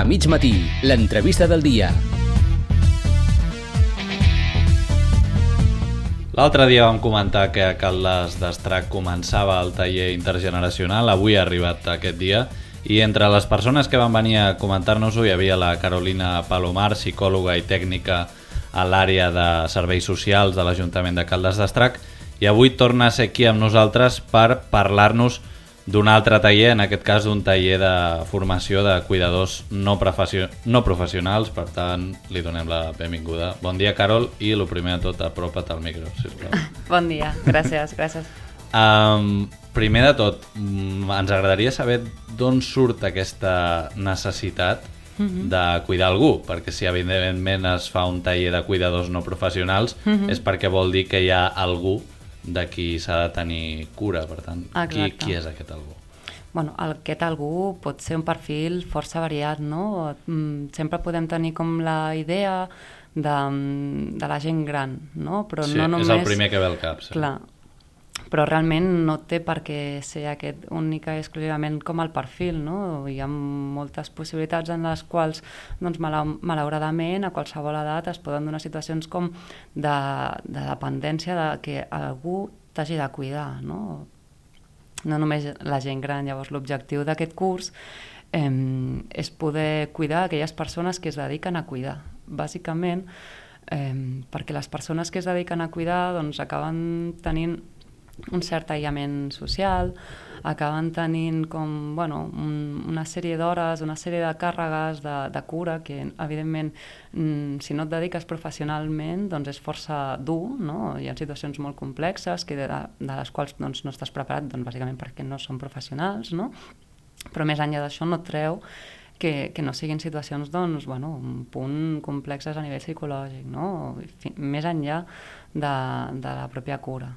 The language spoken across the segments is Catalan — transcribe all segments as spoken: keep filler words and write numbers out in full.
A mig matí, l'entrevista del dia. L'altre dia vam comentar que a Caldes d'Estrac començava el taller intergeneracional. Avui ha arribat aquest dia i entre les persones que van venir a comentar-nos-ho hi havia la Carolina Palomar, psicòloga i tècnica a l'àrea de serveis socials de l'Ajuntament de Caldes d'Estrac, i avui torna a ser aquí amb nosaltres per parlar-nos d'un altre taller, en aquest cas d'un taller de formació de cuidadors no, professió... no professionals. Per tant, li donem la benvinguda. Bon dia, Carol, i el primer de tot, apropa't al micro, sisplau. Bon dia, gràcies, gràcies. Um, primer de tot, ens agradaria saber d'on surt aquesta necessitat uh-huh. de cuidar algú, perquè si evidentment es fa un taller de cuidadors no professionals uh-huh. és perquè vol dir que hi ha algú de qui s'ha de tenir cura. Per tant, qui, qui és aquest algú? Bueno, aquest algú pot ser un perfil força variat, no? Sempre podem tenir com la idea de, de la gent gran, no? Però sí, no només... és el primer que ve al cap. Sí. Clar, però realment no té per què ser aquest única i exclusivament com el perfil, no? Hi ha moltes possibilitats en les quals, doncs, malauradament, a qualsevol edat es poden donar situacions com de, de dependència de que algú t'hagi de cuidar, no? No només la gent gran. Llavors, l'objectiu d'aquest curs eh, és poder cuidar aquelles persones que es dediquen a cuidar, bàsicament, eh, perquè les persones que es dediquen a cuidar doncs, acaben tenint un cert aïllament social, acaben tenint com, bueno, un, una sèrie d'hores, una sèrie de càrregues de, de cura que, evidentment, si no et dediques professionalment, doncs és força dur, no? Hi ha situacions molt complexes que de, de les quals doncs, no estàs preparat, doncs, bàsicament perquè no són professionals, no? Però més enllà d'això no treu que, que no siguin situacions, doncs, bueno, un punt complexes a nivell psicològic, no? Més enllà de, de la pròpia cura.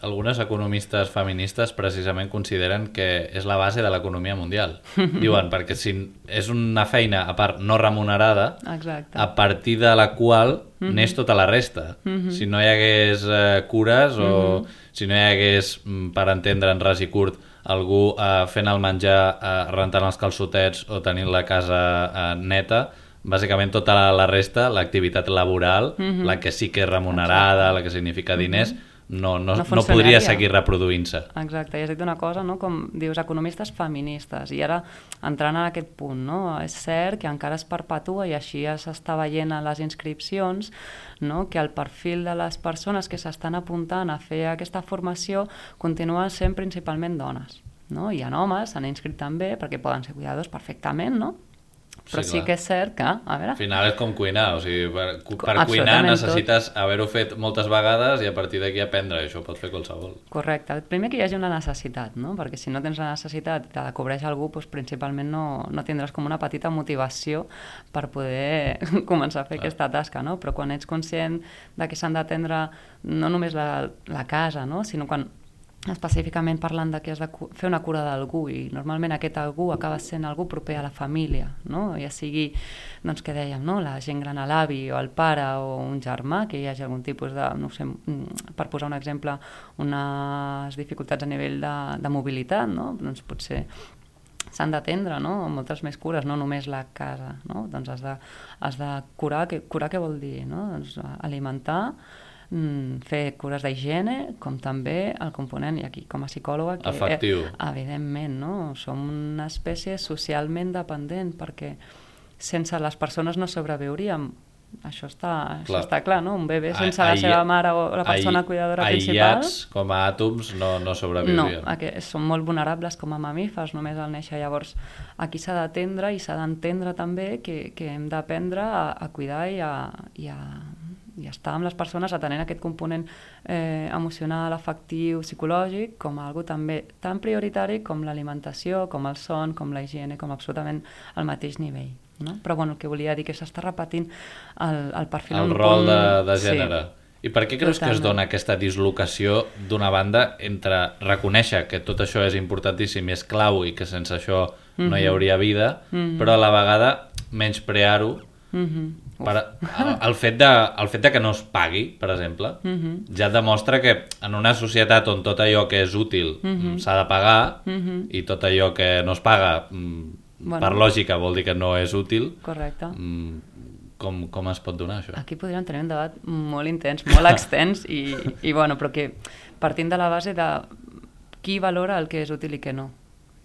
Algunes economistes feministes precisament consideren que és la base de l'economia mundial. Diuen, perquè si és una feina, a part, no remunerada, exacte, a partir de la qual mm-hmm. neix tota la resta. Mm-hmm. Si no hi hagués eh, cures o mm-hmm. si no hi hagués, per entendre en ras i curt, algú eh, fent el menjar, eh, rentant els calçotets o tenint la casa eh, neta, bàsicament tota la, la resta, l'activitat laboral, mm-hmm. la que sí que és remunerada, exacte, la que significa diners, mm-hmm. No, no, no, no podria seguir reproduint-se. Exacte, i has dit una cosa, no? Com dius, economistes feministes, i ara entrant en aquest punt, no? És cert que encara es perpetua, i així ja s'està veient a les inscripcions, no? Que el perfil de les persones que s'estan apuntant a fer aquesta formació continuen sent principalment dones, no? Hi ha homes, s'han inscrit també, perquè poden ser cuidadors perfectament, no? Però sí, sí que és cert que, a veure... Al final és com cuinar, o sigui, per, per cuinar necessites tot haver-ho fet moltes vegades i a partir d'aquí aprendre, això pot fer qualsevol. Correcte. Primer que hi hagi una necessitat, no? Perquè si no tens la necessitat i te la cobreix algú, doncs principalment no, no tindràs com una petita motivació per poder començar a fer ah. aquesta tasca, no? Però quan ets conscient de que s'han d'atendre no només la, la casa, no? Sinó quan específicament parlant de que has de fer una cura d'algú, i normalment aquest algú acaba sent algú proper a la família, no? Ja sigui, doncs què dèiem, no? La gent gran, a l'avi o al pare o un germà, que hi hagi algun tipus de, no sé, per posar un exemple, unes dificultats a nivell de, de mobilitat, no? Doncs potser s'han d'atendre, no? Moltes més cures, no només la casa, no? Doncs has de, has de curar, que, curar què vol dir, no? Doncs alimentar, fer cures d'higiene, com també el component, i aquí com a psicòloga, que afectiu. Eh, evidentment, no? Som una espècie socialment dependent, perquè sense les persones no sobreviuríem. Això està clar, això està clar, no? Un bebè sense a, la seva mare o la persona a, cuidadora principal... Aïllats com a àtoms no, no sobreviurien. No, són molt vulnerables com a mamífers, només al néixer. Llavors, aquí s'ha d'atendre i s'ha d'entendre també que, que hem d'aprendre a, a cuidar i a... I a i estar amb les persones atenent aquest component eh, emocional, afectiu, psicològic, com algo també tan prioritari com l'alimentació, com el son, com la higiene, com absolutament al mateix nivell, no? Però bueno, el que volia dir que s'està repetint el, el perfil... El rol punt... de, de gènere. Sí. I per què creus Totalment. que es dona aquesta dislocació d'una banda entre reconèixer que tot això és importantíssim i és clau i que sense això mm-hmm. no hi hauria vida, mm-hmm. però a la vegada menysprear-ho mm-hmm. Per, el, el, fet de, el fet de que no es pagui, per exemple, uh-huh. ja demostra que en una societat on tot allò que és útil uh-huh. s'ha de pagar uh-huh. i tot allò que no es paga bueno, per lògica vol dir que no és útil. Correcte. Com, com es pot donar això? Aquí podríem tenir un debat molt intens, molt extens i, i bueno, però que partint de la base de qui valora el que és útil i què no.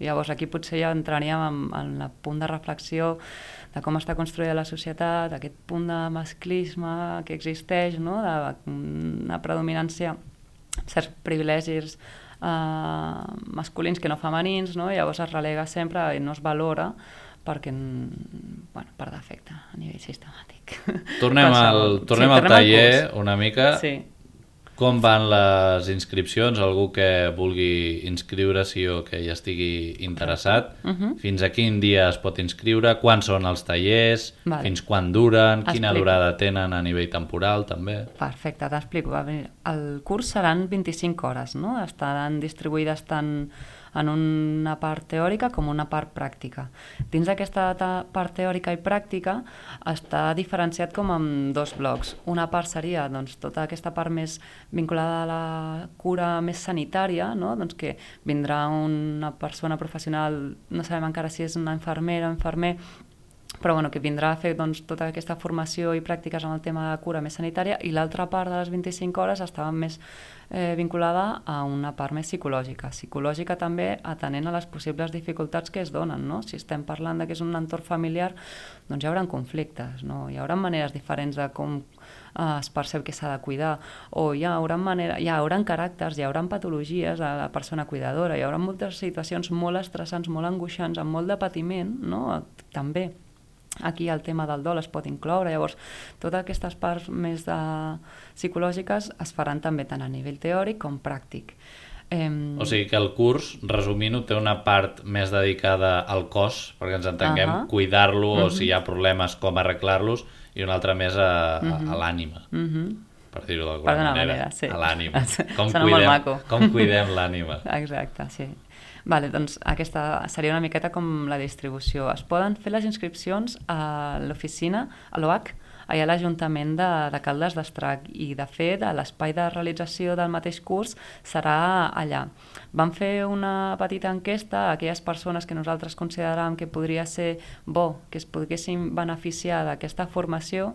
Llavors aquí potser ja entraríem en, en el punt de reflexió de com està construïda la societat, aquest punt de masclisme que existeix, no? D'una predominància, certs privilegis eh, masculins que no femenins, no? Llavors es relega sempre i no es valora perquè, bueno, per defecte, a nivell sistemàtic. Tornem al, tornem sí, al tornem taller al una mica. Sí. Com van les inscripcions? Algú que vulgui inscriure-s'hi o que hi estigui interessat, uh-huh. Fins a quin dia es pot inscriure? Quants són els tallers? Vale. Fins quan duren? Quina Explico. durada tenen a nivell temporal, també? Perfecte, t'explico. El curs seran vint-i-cinc hores, no? Estaran distribuïdes tant en una part teòrica com una part pràctica. Dins d'aquesta part teòrica i pràctica està diferenciat com en dos blocs. Una part seria doncs, tota aquesta part més vinculada a la cura més sanitària, no? Doncs que vindrà una persona professional, no sabem encara si és una infermera o infermer, però bueno, que vindrà a fer doncs, tota aquesta formació i pràctiques en el tema de cura més sanitària, i l'altra part de les vint-i-cinc hores estava més eh, vinculada a una part més psicològica. Psicològica també atenent a les possibles dificultats que es donen, no? Si estem parlant de que és un entorn familiar, doncs hi haurà conflictes, no? Hi haurà maneres diferents de com eh, es percep que s'ha de cuidar, o hi haurà, manera, hi haurà caràcters, hi haurà patologies a la persona cuidadora, hi haurà moltes situacions molt estressants, molt angoixants, amb molt de patiment, no? També. Aquí el tema del dol es pot incloure, llavors totes aquestes parts més de... psicològiques es faran també tant a nivell teòric com pràctic. Eh... O sigui que el curs, resumint-ho, té una part més dedicada al cos, perquè ens entenguem, uh -huh. cuidar-lo, uh -huh. o si hi ha problemes, com arreglar-los, i una altra més a, a, a l'ànima. Uh -huh. Per dir-ho d'alguna manera, manera sí. A l'ànima. Com Sona molt maco. Com cuidem l'ànima. Exacte, sí. Vale, doncs aquesta seria una miqueta com la distribució. Es poden fer les inscripcions a l'oficina, a l'O H, allà a l'Ajuntament de, de Caldes d'Estrac, i de fet l'espai de realització del mateix curs serà allà. Vam fer una petita enquesta a aquelles persones que nosaltres consideràvem que podria ser bo que es poguessin beneficiar d'aquesta formació,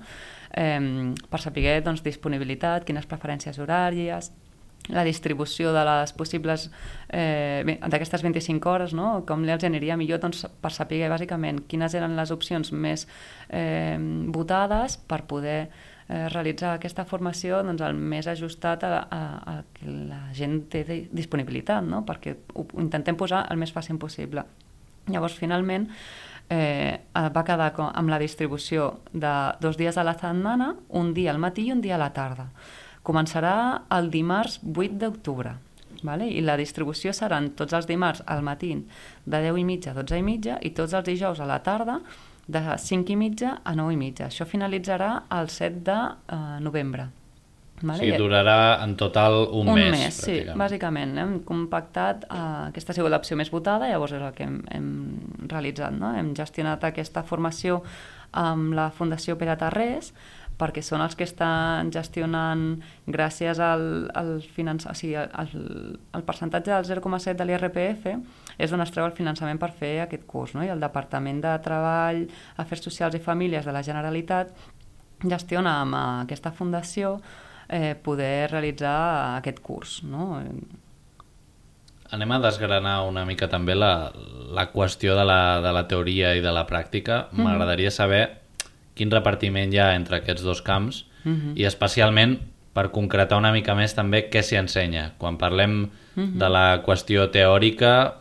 eh, per saber doncs, disponibilitat, quines preferències horàries, la distribució de les possibles eh, d'aquestes vint-i-cinc hores, no? Com els aniria millor, doncs, per saber bàsicament quines eren les opcions més eh, votades per poder eh, realitzar aquesta formació doncs, el més ajustat a, a, a que la gent té disponibilitat, no? Perquè ho, ho intentem posar el més fàcil possible. Llavors, finalment, eh, va quedar amb la distribució de dos dies a la setmana, un dia al matí i un dia a la tarda. Començarà el dimarts vuit d'octubre, vale? I la distribució seran tots els dimarts al matí de deu i mitja a dotze i mitja i tots els dijous a la tarda de cinc i mitja a nou i mitja. Això finalitzarà el set de novembre. Vale? Sí, durarà en total un, un mes. Un mes, sí, bàsicament. Hem compactat, eh, aquesta ha sigut l'opció més votada, llavors és el que hem, hem realitzat, no? Hem gestionat aquesta formació amb la Fundació Pere Tarrés, perquè són els que estan gestionant, gràcies al, al, finanç... o sigui, al, al percentatge del zero coma set de l'I R P F, és d'on es treu el finançament per fer aquest curs, no? I el Departament de Treball, Afers Socials i Famílies de la Generalitat gestiona amb aquesta fundació eh, poder realitzar aquest curs, no? Anem a desgranar una mica també la, la qüestió de la, de la teoria i de la pràctica. Mm-hmm. M'agradaria saber quin repartiment hi ha entre aquests dos camps, uh-huh. i especialment per concretar una mica més també què s'hi ensenya. Quan parlem uh-huh. de la qüestió teòrica,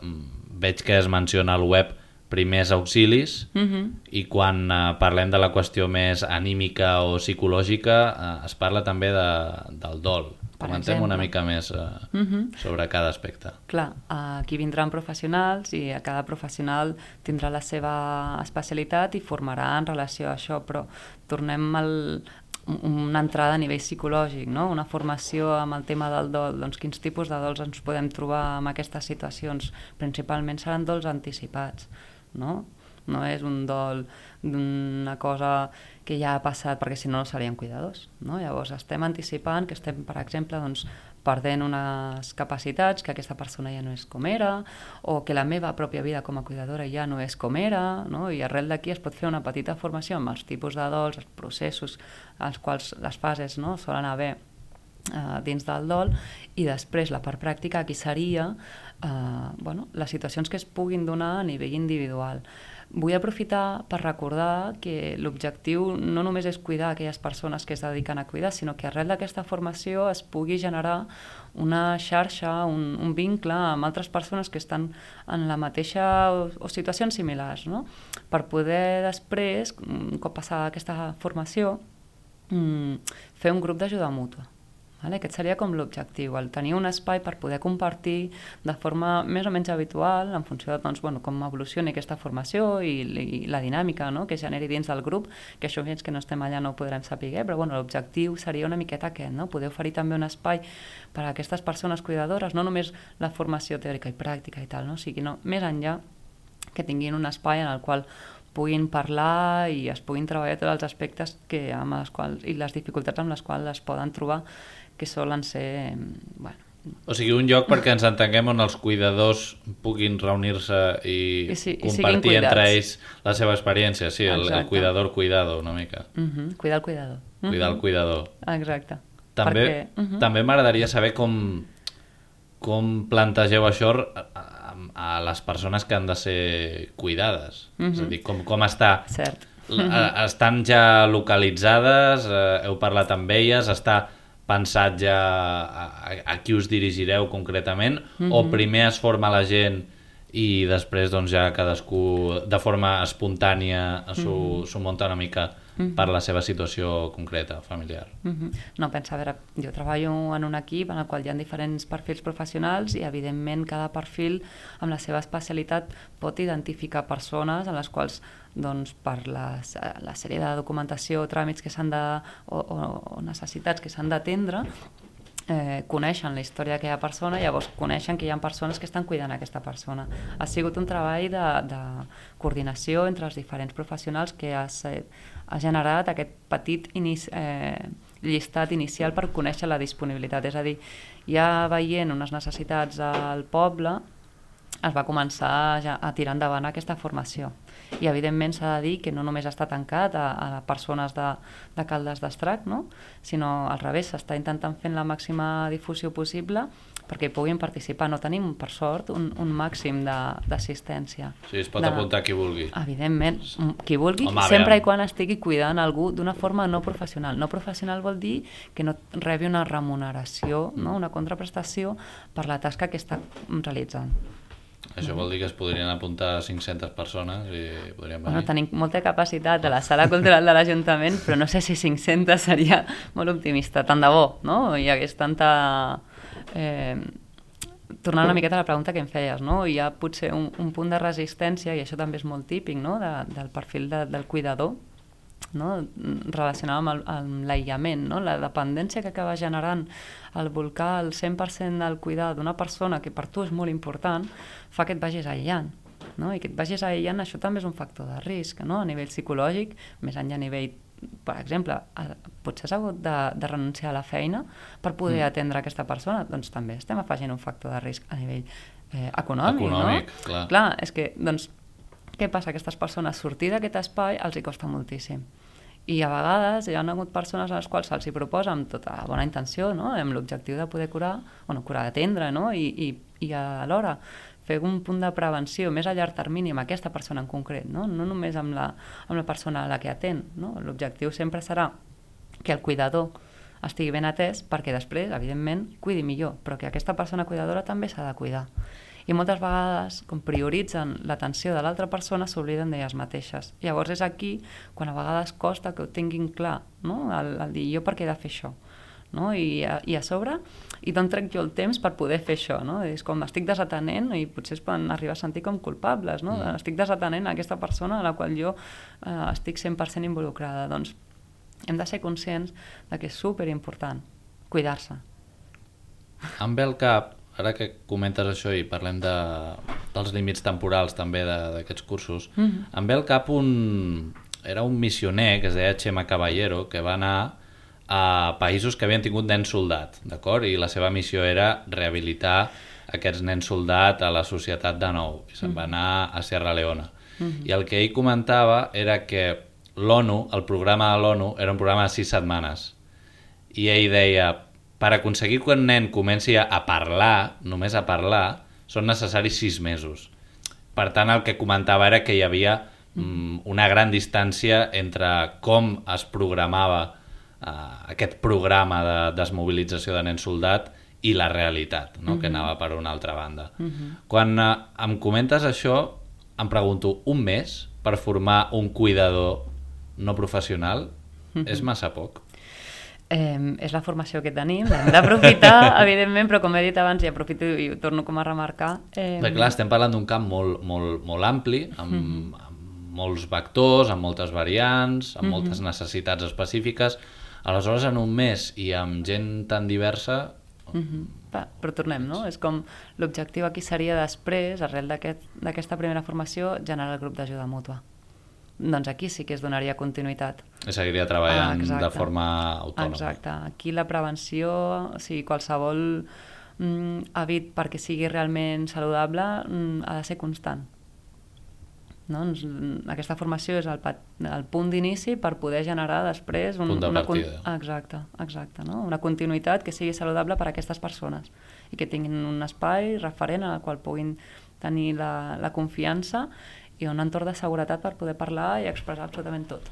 veig que es menciona al web primers auxilis, uh-huh. i quan uh, parlem de la qüestió més anímica o psicològica, uh, es parla també de, del dol. Comentem una mica més uh, uh-huh. sobre cada aspecte. Clar, aquí vindran professionals i a cada professional tindrà la seva especialitat i formarà en relació a això, però tornem al, una entrada a nivell psicològic, no? Una formació amb el tema del dol, doncs quins tipus de dols ens podem trobar en aquestes situacions? Principalment seran dols anticipats, no? No és un dol d'una cosa que ja ha passat, perquè si no no serien cuidadors, no? Llavors estem anticipant que estem, per exemple, doncs, perdent unes capacitats, que aquesta persona ja no és com era, o que la meva pròpia vida com a cuidadora ja no és com era, no? I arrel d'aquí es pot fer una petita formació amb els tipus de dols, els processos, els quals les fases, no? Solen haver Uh, dins del dol, i després la part pràctica aquí seria uh, bueno, les situacions que es puguin donar a nivell individual. Vull aprofitar per recordar que l'objectiu no només és cuidar aquelles persones que es dediquen a cuidar, sinó que arrel d'aquesta formació es pugui generar una xarxa, un, un vincle amb altres persones que estan en la mateixa o, o situacions similars, no? Per poder després, un cop passada aquesta formació, mm, fer un grup d'ajuda mútua. Vale? Aquest seria com l'objectiu, el tenir un espai per poder compartir de forma més o menys habitual en funció de doncs, bueno, com evolucioni aquesta formació i, i la dinàmica, no? Que generi dins del grup, que això fins que no estem allà no ho podrem saber, però bueno, l'objectiu seria una miqueta aquest, no? Poder oferir també un espai per a aquestes persones cuidadores, no només la formació teòrica i pràctica i tal, no? O sigui, no, més enllà que tinguin un espai en el qual puguin parlar i es puguin treballar tots els aspectes que, amb les quals, i les dificultats amb les quals es poden trobar, que solen ser... Bueno. O sigui, un lloc perquè ens entenguem on els cuidadors puguin reunir-se i, I, sí, compartir i entre ells la seva experiència. Sí, el, el cuidador-cuidado, una mica. Uh -huh. Cuidar el cuidador. Uh -huh. Cuidar el cuidador. Exacte. També, perquè, uh -huh. també m'agradaria saber com, com plantegeu això a, a les persones que han de ser cuidades. Uh -huh. És a dir, com, com està... Cert. Estan ja localitzades, heu parlat amb elles, està... pensat ja a, a qui us dirigireu concretament, mm-hmm. o primer es forma la gent i després doncs, ja cadascú de forma espontània s'ho mm-hmm. munta una mica mm-hmm. per la seva situació concreta, familiar? Mm-hmm. No, pensa, a veure, jo treballo en un equip en el qual hi ha diferents perfils professionals i evidentment cada perfil amb la seva especialitat pot identificar persones en les quals doncs, per la, la sèrie de documentació o tràmits que s'han de, o, o, o necessitats que s'han d'atendre, eh, coneixen la història d'aquella persona i llavors coneixen que hi ha persones que estan cuidant aquesta persona. Ha sigut un treball de, de coordinació entre els diferents professionals que ha, ha generat aquest petit inici, eh, llistat inicial per conèixer la disponibilitat. És a dir, ja veient unes necessitats al poble, es va començar a, a tirar endavant aquesta formació. I evidentment s'ha de dir que no només està tancat a, a persones de, de Caldes d'Estrac, no? Sinó al revés, s'està intentant fer la màxima difusió possible perquè hi puguin participar. No tenim, per sort, un, un màxim d'assistència. Sí, es pot de... apuntar qui vulgui. Evidentment, qui vulgui, Home, sempre i quan estigui cuidant algú d'una forma no professional. No professional vol dir que no rebi una remuneració, no? Una contraprestació per la tasca que està realitzant. Això vol dir que es podrien apuntar cinc-centes persones i podríem venir. Bueno, tenim molta capacitat a la sala cultural de l'Ajuntament, però no sé si cinc-centes seria molt optimista. Tant de bo, no? Hi hagués tanta... Eh... Tornant una miqueta a la pregunta que em feies, no? Hi ha potser un, un punt de resistència, i això també és molt típic, no? De, del perfil de, del cuidador, no? Relacionat amb, el, amb l'aïllament, no? La dependència que acaba generant el volcar el cent per cent del cuidar d'una persona que per tu és molt important fa que et vagis aïllant, no? I que et vagis aïllant, això també és un factor de risc, no? A nivell psicològic, més enllà a nivell, per exemple, potser has hagut de, de renunciar a la feina per poder mm. atendre aquesta persona, doncs també estem afegint un factor de risc a nivell eh, econòmic, econòmic, no? Clar. Clar, és que, doncs, què passa? Aquestes persones sortir d'aquest espai els hi costa moltíssim. I a vegades hi ha hagut persones a les quals se'ls hi proposa amb tota la bona intenció, no? Amb l'objectiu de poder curar, bueno, curar d'atendre, no? I, i, i alhora fer un punt de prevenció més a llarg termini amb aquesta persona en concret, no? No només amb la, amb la persona a la que atén, no? L'objectiu sempre serà que el cuidador estigui ben atès perquè després, evidentment, cuidi millor, però que aquesta persona cuidadora també s'ha de cuidar. I moltes vegades, com prioritzen l'atenció de l'altra persona, s'obliden d'elles mateixes. Llavors és aquí quan a vegades costa que ho tinguin clar, no? El, el dir, jo per què he de fer això? No? I, a, I a sobre, i d'on trec jo el temps per poder fer això? No? És com estic desatenent i potser es poden arribar a sentir com culpables, no? Mm. Estic desatenent a aquesta persona a la qual jo eh, estic cent per cent involucrada. Doncs hem de ser conscients de que és superimportant cuidar-se. Em ve al cap, ara que comentes això i parlem de, dels límits temporals també d'aquests cursos, mm-hmm. em ve al cap un... era un missioner que es deia Chema Caballero, que va anar a països que havien tingut nens soldat, d'acord? I la seva missió era rehabilitar aquests nens soldat a la societat de nou. I se'n va anar a Sierra Leone. Mm-hmm. I el que ell comentava era que l'ONU, el programa de l'ONU, era un programa de sis setmanes. I ell deia, per aconseguir que un nen comenci a parlar, només a parlar, són necessaris sis mesos. Per tant, el que comentava era que hi havia mm, una gran distància entre com es programava uh, aquest programa de desmobilització de nens soldat i la realitat, no? Mm-hmm. Que anava per una altra banda. Mm-hmm. Quan uh, em comentes això, em pregunto, un mes per formar un cuidador no professional mm-hmm. és massa poc? Eh, és la formació que tenim, l'hem d'aprofitar, evidentment, però com he dit abans, i aprofito i ho torno com a remarcar... Eh... Perquè clar, estem parlant d'un camp molt, molt, molt ampli, amb, mm. amb molts vectors, amb moltes variants, amb mm-hmm. moltes necessitats específiques. Aleshores, en un mes i amb gent tan diversa... Mm-hmm. Va, però tornem, no? És com l'objectiu aquí seria després, arrel d'aquesta aquest, primera formació, generar el grup d'ajuda mútua. Doncs aquí sí que es donaria continuïtat. I seguiria treballant ah, de forma autònoma. Exacte. Aquí la prevenció, o sigui, qualsevol mm, hàbit perquè sigui realment saludable mm, ha de ser constant. No? Aquesta formació és el, el punt d'inici per poder generar després un, punt de una, partida. Exacte, exacte, no? Una continuïtat que sigui saludable per a aquestes persones i que tinguin un espai referent al qual puguin tenir la, la confiança i un entorn de seguretat per poder parlar i expressar absolutament tot.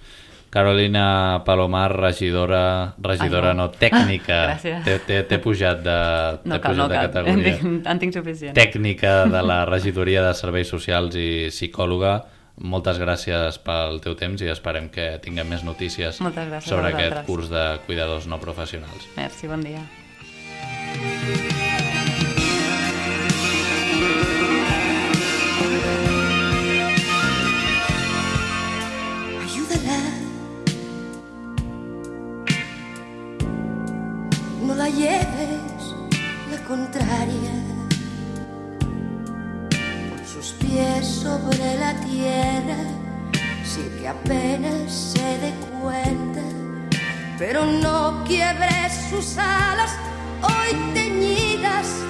Carolina Palomar, regidora, regidora Ai, no. no, tècnica. Ah, T'he pujat de, no cal, pujat no de cal. categoria. En tinc, en tinc suficient. Tècnica de la regidoria de Serveis Socials i psicòloga. Moltes gràcies pel teu temps i esperem que tinguem més notícies sobre aquest curs de cuidadors no professionals. Merci, bon dia. No la lleves la contraria, con sus pies sobre la tierra, sin que apenas se dé cuenta, pero no quiebres sus alas hoy teñidas